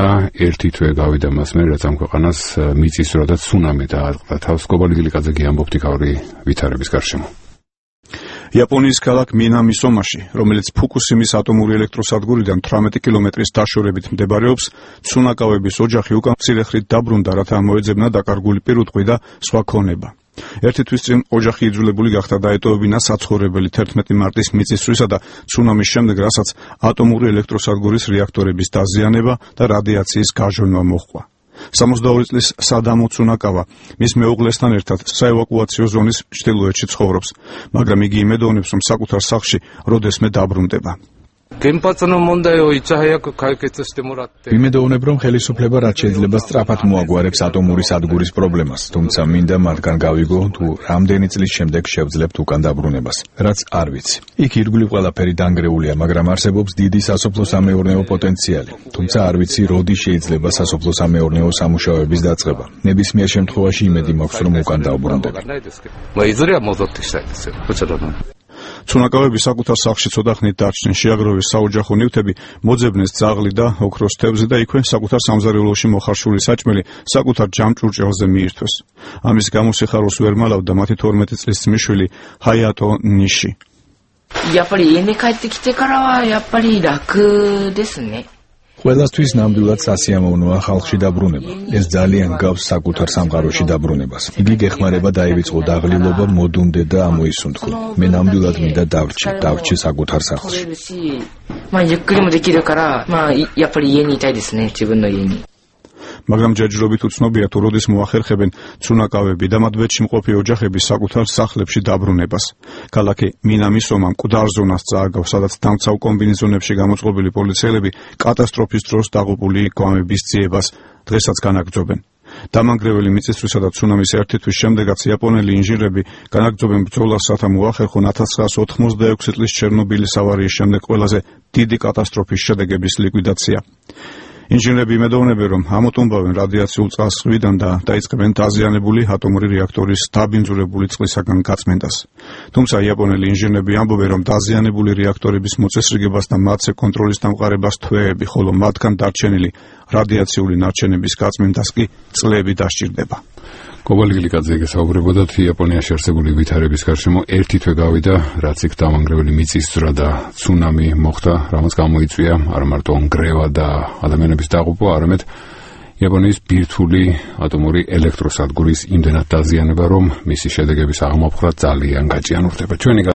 და ერთი თვე გავიდა მას მერე, რაც ამ ქვეყანას მიწისძვრა და ცუნამი დაატყდა თავს. გობალი გილიკაძე ამბობს იქაური ვითარების გარშემო. იაპონიის ქალაქ მინამის ომაში, რომელიც ფუკუსიმის ატომური ელექტროსადგურიდან 18 კილომეტრის დაშორებით მდებარეობს, ცუნაკავების ოჯახი უკან მცირე ხნით დაბრუნდა, რათა მოეძებნა დაკარგული პირუტყვი და სხვა ქონება. ერთი თვის წინ ოჯახი იძულებული გახდა დაეტოვებინა საცხოვრებელი 11 მარტის მიწისძვრისა და ცუნამის შემდეგ, რასაც ატომური ელექტროსადგურის რეაქტორების დაზიანება და რადიაციის გაჟონვა მოჰყვა. 62 წლის სადამო ცუნაკავა მის მეუღლესთან ერთად საევაკუაციო ზონის ჩრდილოეთში ცხოვრობს, მაგრამ იგი იმედოვნებს, რომ საკუთარ სახლში როდესმე დაბრუნდება. იმედოვნებ, რომ ხელისუფლება რაც შეიძლება სწრაფად მოაგვარებს ატომური სადგურის პრობლემას, თუმცა მინდა მათგან გავიგო, თუ რამდენი წლის შემდეგ შევძლებთ უკან დაბრუნებას, რაც არ ვიცი. იქ ირგვლივ ყველაფერი დანგრეულია, მაგრამ არსებობს დიდი სასოფლო-სამეურნეო პოტენციალი, თუმცა არ ვიცი, როდი შეიძლება სასოფლო-სამეურნეო სამუშაოების დაწყება. ნებისმიერ შემთხვევაში იმედი მაქვს, რომ უკან დავბრუნდები. ცუნაკავები საკუთარ სახლში ცოტა ხნით დარჩნენ, შეაგროვეს საოჯახო ნივთები, მოძებნეს ძაღლი და ოქროს თევზი და იქვე საკუთარ სამზარეულოში მოხარშული საჭმელი საკუთარ ჯამჭურჭელზე მიირთვეს. ამის გამო სიხარულს ვერ მალავდა მათი 12 წლის ძმისშვილი ჰაიატო ნიში. ყველასთვის ნამდვილად სასიამოვნოა ხალხში დაბრუნება. ეს ძალიან გავს საკუთარ სამყაროში დაბრუნებას. იგი გეხმარება დაივიწყო დაღლილობა, მოდუნდე და ამოისუნთქო. მე ნამდვილად მინდა დავრჩი საკუთარ სახლში. მაგრამ ჯერჯერობით უცნობია, თუ როდის მოახერხებენ ცუნაკავები და მათ ბედში მყოფი ოჯახები საკუთარ სახლებში დაბრუნებას. ქალაქი მინამის ომა მკვდარ ზონას წააგავს, სადაც დამცავ კომბინეზონებში გამოწყობილი პოლიციელები კატასტროფის დროს დაღუპული გვამების ძიებას დღესაც განაგრძობენ. დამანგრეველი მიწისძვრისა და ცუნამის ერთი თვის შემდეგაც იაპონელი ინჟინრები განაგრძობენ ბრძოლას, რათა მოახერხონ 1986 წლის ჩერნობილის ავარიის შემდეგ ყველაზე დიდი კატასტროფის შედეგების ლიკვიდაცია. ინჟინრები იმედოვნებენ, რომ ამოტუმბავენ რადიაციულ წყალს ზღვიდან და დაიწყებენ დაზიანებული ატომური რეაქტორის დაბინძურებული წყლისაგან გაწმენდას. თუმცა იაპონელი ინჟინრები ამბობენ, რომ დაზიანებული რეაქტორების მოწესრიგებას და მათზე კონტროლის დამყარებას თვეები, ხოლო მათგან დარჩენილი რადიაციული ნარჩენების გაწმენდას კი წლები დასჭირდება. გობალი გილიკაძე გესაუბრებოდა იაპონიაში არსებული ვითარების გარშემო ერთი თვე გავიდა, რაც იქ დამანგრეველი მიწისძვრა და ცუნამი მოხდა, რამაც გამოიწვია არა მარტო ნგრევა და ადამიანების დაღუპვა, არამედ იაპონიის ბირთვული ატომური ელექტროსადგურის იმდენად დაზიანება, რომ მისი შედეგების აღმოფხვრა ძალიან გაჭიანურდება.